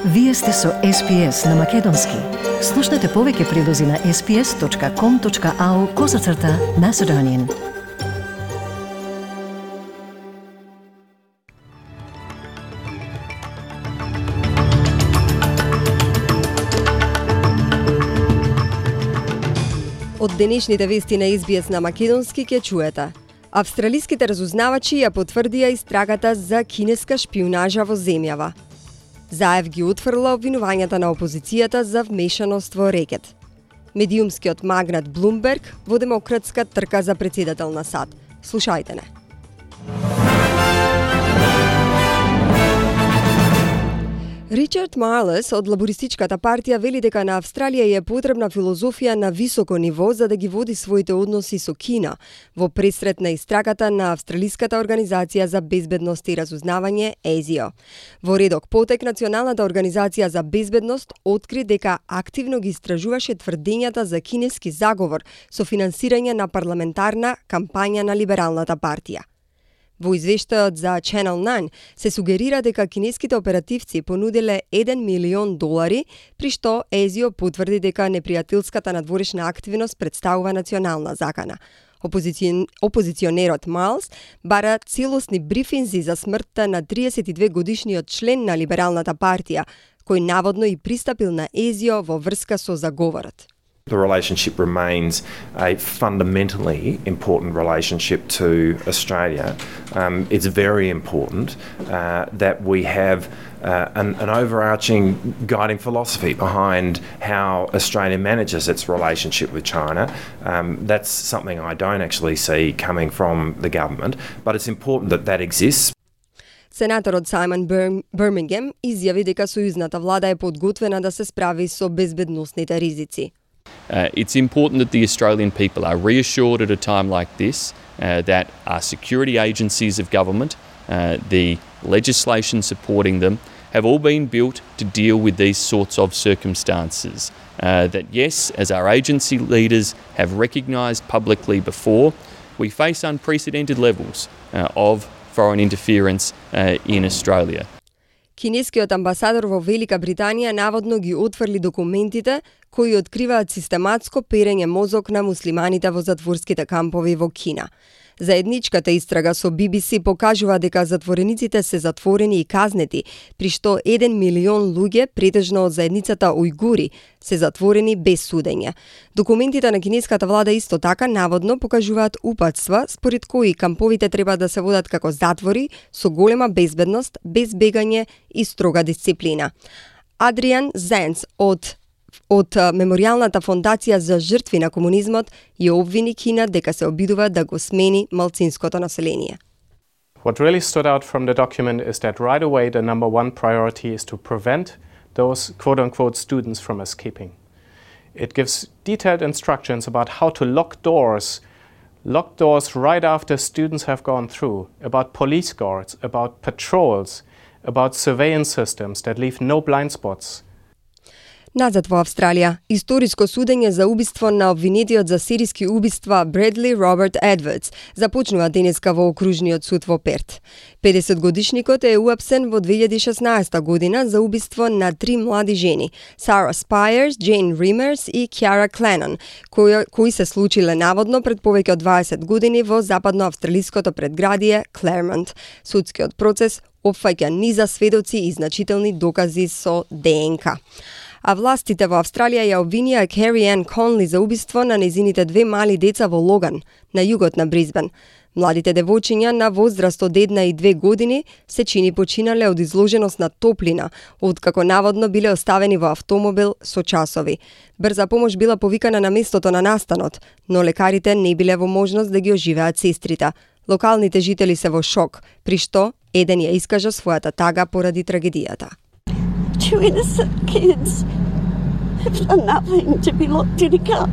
Вие сте со SPS на Македонски. Слушнете повеќе прилози на sps.com.au/Macedonian. Од денешните вести на SBS на Македонски ќе чуете. Австралиските разузнавачи ја потврдија истрагата за кинеска шпионажа во земјава. Заев ги утврла обвинувањата на опозицијата за вмешаност во рекет. Медиумскиот магнат Блумберг во демократска трка за председател на САД. Слушајте не. Ричард Марлес од Лабористичката партија вели дека на Австралија е потребна филозофија на високо ниво за да ги води своите односи со Кина во пресрет на истрагата на Австралиската организација за безбедност и разузнавање ASIO. Во редок потек Националната организација за безбедност откри дека активно ги истражуваше тврдењата за кинески заговор со финансирање на парламентарна кампања на Либералната партија. Во извештајот за Channel 9 се сугерира дека кинеските оперативци понуделе $1 милион, при што ASIO потврди дека непријателската надворешна активност представува национална закана. Опозиционерот Майлс бара целосни брифинзи за смртта на 32-годишниот член на Либералната партија, кој наводно и пристапил на ASIO во врска со заговорот. The relationship remains a fundamentally important relationship to Australia. It's very important that we have an overarching guiding philosophy behind how Australia manages its relationship with China. That's something I don't actually see coming from the government, but it's important that that exists. Сенаторот Саймон Бирмингем изјави дека сојузната влада е подготвена да се справи со безбедносните ризици. It's important that the Australian people are reassured at a time like this that our security agencies of government, the legislation supporting them, have all been built to deal with these sorts of circumstances. That yes, as our agency leaders have recognised publicly before, we face unprecedented levels of foreign interference in Australia. Кинескиот амбасадор во Велика Британија наводно ги отфрли документите кои откриваат систематско перење мозок на муслиманите во затворските кампови во Кина. Заедничката истрага со BBC покажува дека затворениците се затворени и казнети, при што 1 милион луѓе, претежно од заедницата ујгури, се затворени без судење. Документите на кинеската влада исто така наводно покажуваат упатства според кои камповите треба да се водат како затвори со голема безбедност, без бегање и строга дисциплина. Адриан Зенц од Меморијалната фондација за жртви на комунизмот ја обвини Кина дека се обидува да го смени малцинското население. What really stood out from the document is that right away the number one priority is to prevent those quote-unquote students from escaping. It gives detailed instructions about how to lock doors right after students have gone through, about police guards, about patrols, about surveillance systems that leave no blind spots. Назад во Австралија, историско судење за убиство на обвинетиот за серијски убиства Бредли Роберт Едвардс започнува денеска во окружниот суд во Перт. 50-годишникот е уапсен во 2016 година за убиство на 3 млади жени, Сара Спајерс, Джейн Римерс и Кјара Кленон, кои се случиле наводно пред повеќе од 20 години во западно-австралиското предградие Клермонт. Судскиот процес опфаќа низа сведоци и значителни докази со ДНК. А властите во Австралија ја обвинија Кери Ан Конли за убиство на незините 2 мали деца во Логан, на југот на Брисбен. Младите девојчиња на возраст од 1 и 2 години се чини починале од изложеност на топлина, откако наводно биле оставени во автомобил со часови. Брза помош била повикана на местото на настанот, но лекарите не биле во можност да ги оживеат сестрите. Локалните жители се во шок, при што еден ја искажа својата тага поради трагедијата. Two innocent kids have done nothing to be locked in a car.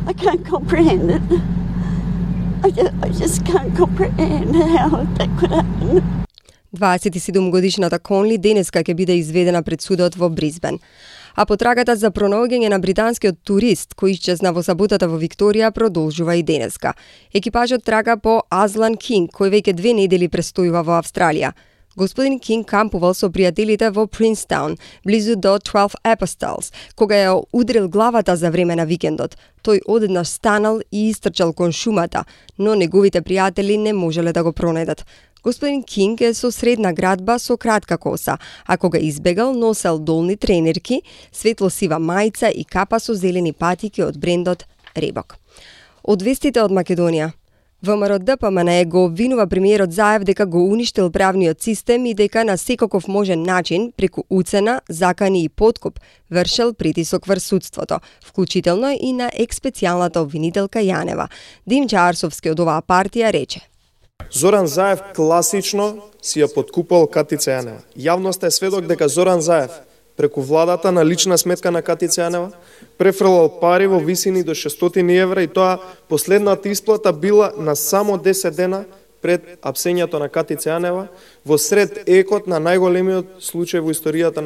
I can't comprehend it. I just can't comprehend how that could happen. 27-годишната Конли денеска ќе биде изведена пред судот во Брисбен. А потрагата за пронаоѓање на британскиот турист кој исчезна во саботата во Викторија продолжува и денеска. Екипажот трага по Азлан Кинг, кој веќе 2 недели престојува во Австралија. Господин Кинг кампувал со пријателите во Принстаун, близу до 12 Apostles, кога ја удрил главата за време на викендот. Тој одеднаш станал и истрчал кон шумата, но неговите пријатели не можеле да го пронајдат. Господин Кинг е со средна градба со кратка коса, а кога избегал носел долни тренерки, светло-сива мајца и капа со зелени патики од брендот Ребок. Од вестите од Македонија. ВМРО-ДПМН го обвинува премиерот Заев дека го уништил правниот систем и дека на секаков можен начин, преку уцена, закани и подкуп, вршел притисок врз судството, вклучително и на екс-специјалната обвинителка Јанева. Димче Арсовски од оваа партија рече: Зоран Заев класично си ја подкупал Катица Јанева. Јавноста е сведок дека Зоран Заев преку владата на лична сметка на Катица Јанева префрлал пари во висини до 600 евра и тоа последната исплата била на само 10 дена пред апсењето на Катица Јанева во сред екот на најголемиот случај во историјата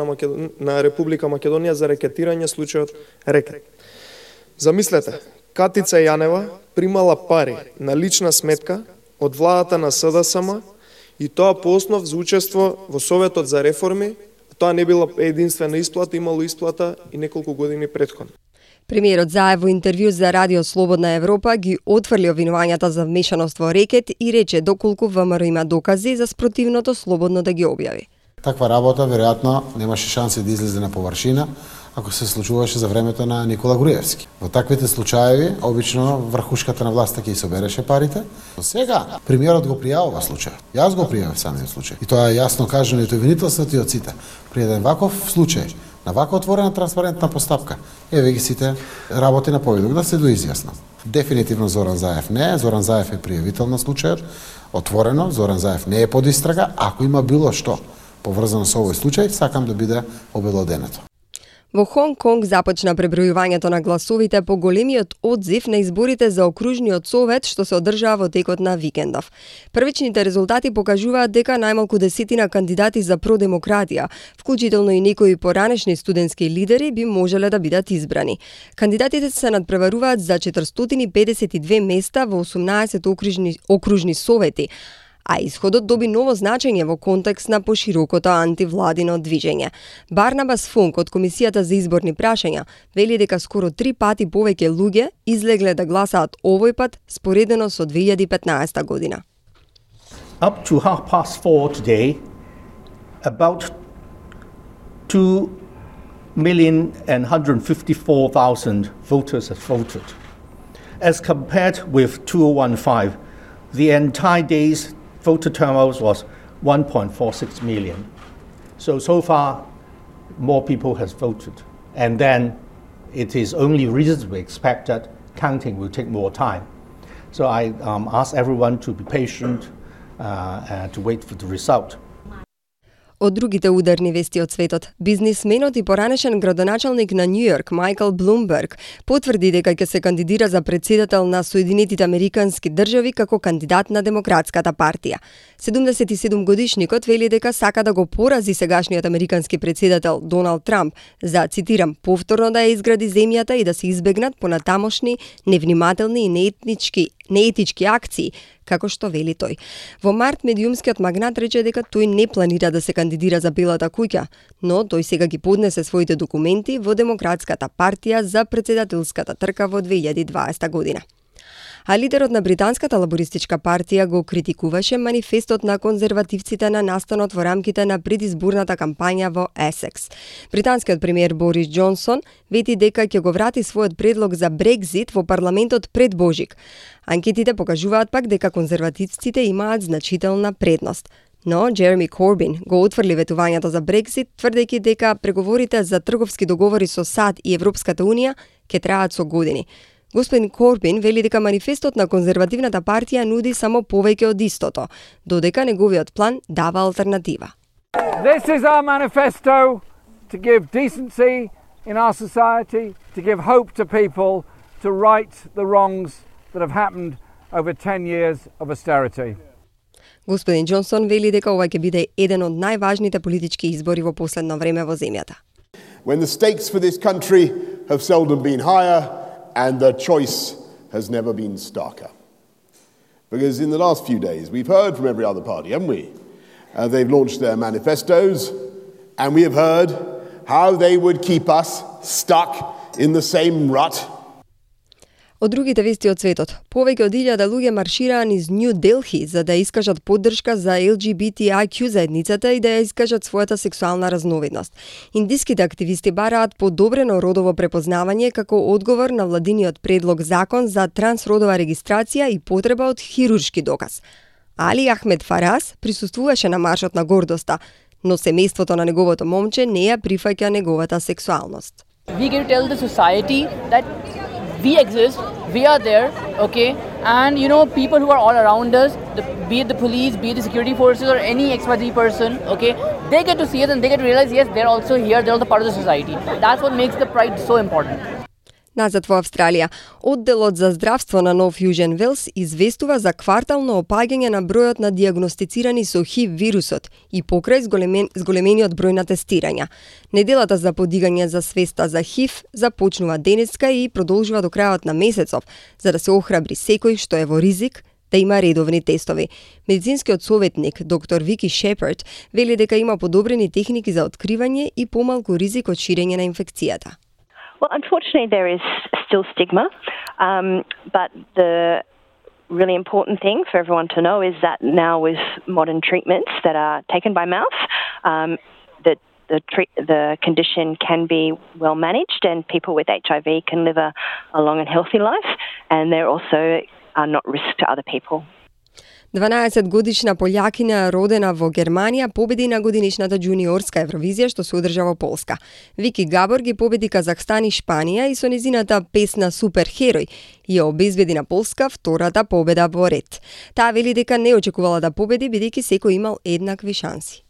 на Република Македонија за рекетирање, случајот рекет. Замислете, Катица Јанева примала пари на лична сметка од владата на СДСМ и тоа по основ за учество во Советот за реформи. Тоа не била единствена исплата, имало исплата и неколку години претходно. Премиерот Заев во интервју за Радио Слободна Европа ги отфрли обвинувањата за вмешаност во рекет и рече доколку ВМРО има докази за спротивното слободно да ги објави. Таква работа веројатно немаше шанси да излезе на површина ако се случуваше за времето на Никола Груевски. Во таквите случаи обично врхушката на власта ќе собереше парите. Но сега премиерот го пријавува случајот. Јас го пријавив самиот случај. И тоа е јасно кажано и од обвинителството и од сите. При еден ваков случај, на вака отворена транспарентна постапка, еве ги сите работи на поведок да се доизјаснат. Дефинитивно Зоран Заев не е. Зоран Заев е пријавител на случајот. Отворено, Зоран Заев не е под истрага. Ако има било што поврзано со овој случај, сакам да биде обелоденето. Во Хонг Конг започна пребројувањето на гласовите по големиот одзив на изборите за окружниот совет што се одржаа во текот на викендов. Првичните резултати покажуваат дека најмалку 10 кандидати за продемократија, вклучително и некои поранешни студентски лидери, би можеле да бидат избрани. Кандидатите се надпреваруваат за 452 места во 18 окружни совети, а исходот доби ново значење во контекст на поширокото антивладино движење. Барнабас Функ од Комисијата за изборни прашања вели дека скоро 3 пати повеќе луѓе излегле да гласаат овој пат споредено со 2015 година. Up to 4:30 today, about 2,154,000 voters have voted. As compared with 2015, the entire day's voter turnout was 1.46 million. So far, more people has voted. And then it is only reasonably expect that counting will take more time. So I ask everyone to be patient and to wait for the result. Од другите ударни вести од светот, бизнисменот и поранешен градоначалник на Њујорк Мајкл Блумберг потврди дека ќе се кандидира за претседател на Соединетите Американски држави како кандидат на Демократската партија. 77 годишникот вели дека сака да го порази сегашниот американски претседател Доналд Трамп за, цитирам, повторно да ја изгради земјата и да се избегнат понатамошни невнимателни и неетички акции, како што вели тој. Во март медиумскиот магнат рече дека тој не планира да се кандидира за Белата куќа, но тој сега ги поднесе своите документи во Демократската партија за претседателската трка во 2020 година. А лидерот на британската лабористичка партија го критикуваше манифестот на конзервативците на настанот во рамките на предизборната кампања во Есекс. Британскиот премиер Борис Џонсон вети дека ќе го врати својот предлог за Брекзит во парламентот пред Божик. Анкетите покажуваат пак дека конзервативците имаат значителна предност. Но Джереми Корбин го отфрли ветувањето за Брекзит, тврдејќи дека преговорите за трговски договори со САД и Европската Унија ќе траат со години. Господин Корбин вели дека манифестот на конзервативната партија нуди само повеќе од истото, додека неговиот план дава алтернатива. This is our manifesto to give decency in our society, to give hope to people, to right the wrongs that have happened over 10 years of austerity. Господин Џонсон вели дека ова ќе биде еден од најважните политички избори во последно време во земјата. When the stakes for this country have seldom been higher and the choice has never been starker. Because in the last few days we've heard from every other party, haven't we? They've launched their manifestos, and we have heard how they would keep us stuck in the same rut. Од другите вести од светот, повеќе од 1000 луѓе маршираа низ Нью Делхи за да искажат поддршка за LGBTIQ заедницата и да ја искажат својата сексуална разновидност. Индиските активисти бараат подобрено родово препознавање како одговор на владиниот предлог закон за трансродова регистрација и потреба од хируршки доказ. Али Ахмед Фарас присуствуваше на маршот на гордоста, но семејството на неговото момче не ја прифаќа неговата сексуалност. We get to tell the society that we exist, we are there, okay? And people who are all around us, be it the police, be it the security forces or any XYZ person, okay? They get to see us and they get to realize, yes, they're also here, they're also part of the society. That's what makes the Pride so important. Назад во Австралија, одделот за здравство на Нов Јужен Велс известува за квартално опаѓање на бројот на дијагностицирани со ХИВ вирусот и покрај зголемениот број на тестирања. Неделата за подигање за свеста за ХИВ започнува денеска и продолжува до крајот на месецов, за да се охрабри секој што е во ризик да има редовни тестови. Медицинскиот советник доктор Вики Шепард вели дека има подобрени техники за откривање и помалку ризик од ширење на инфекцијата. Well, unfortunately, there is still stigma, but the really important thing for everyone to know is that now with modern treatments that are taken by mouth, the condition can be well managed and people with HIV can live a long and healthy life, and they're also not risk to other people. 12-годишна полјакиня родена во Германија победи на годинишната джуниорска Евровизија што се одржа во Полска. Вики Габор ги победи Казахстан и Шпанија и со незината песна Супер Херој ја обезбеди на Полска втората победа во ред. Таа вели дека не очекувала да победи бидејќи секој имал еднакви шанси.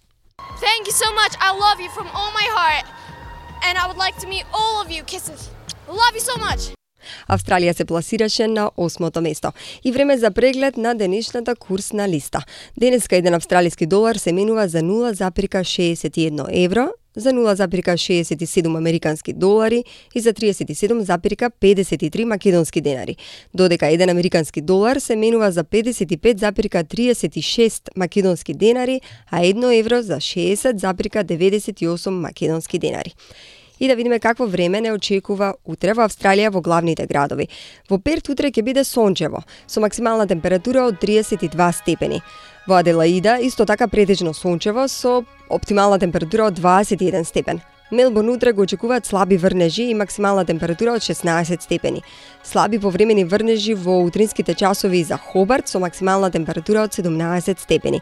Thank you so much. I love you from all my heart. And I would like to meet all of you. Kisses. Love you so much. Австралија се пласираше на 8-то место. И време за преглед на денешната курсна листа. Денеска еден австралиски долар се менува за 0,61 евро, за 0,67 американски долари и за 37,53 македонски денари. Додека еден американски долар се менува за 55,36 македонски денари, а 1 евро за 60,98 македонски денари. И да видиме какво време не очекува утре во Австралија во главните градови. Во Перт утре ќе биде сончево, со максимална температура од 32 степени. Во Аделаида исто така претежно сончево со оптимална температура од 21 степен. Мелбурн утре го очекуваат слаби врнежи и максимална температура од 16 степени. Слаби повремени врнежи во утринските часови за Хобарт со максимална температура од 17 степени.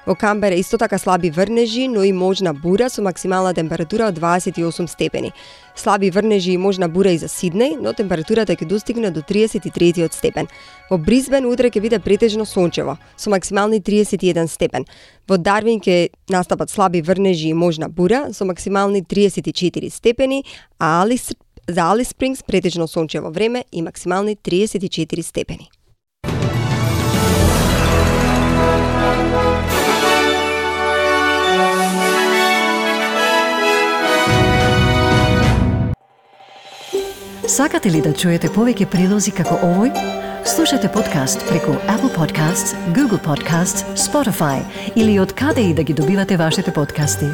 Во Камбера исто така слаби врнежи, но и можна бура со максимална температура од 28 степени. Слаби врнежи и можна бура и за Сиднеј, но температурата ќе достигне до 33 степен. Во Брисбен утре ќе биде претежно сончево, со максимални 31 степен. Во Дарвин ќе настапат слаби врнежи и можна бура, со максимални 34 степени, а за Алис Спрингс претежно сончево време и максимални 34 степени. Сакате ли да чуете повеќе прилози како овој? Слушате подкаст преку Apple Podcasts, Google Podcasts, Spotify или од каде и да ги добивате вашите подкасти.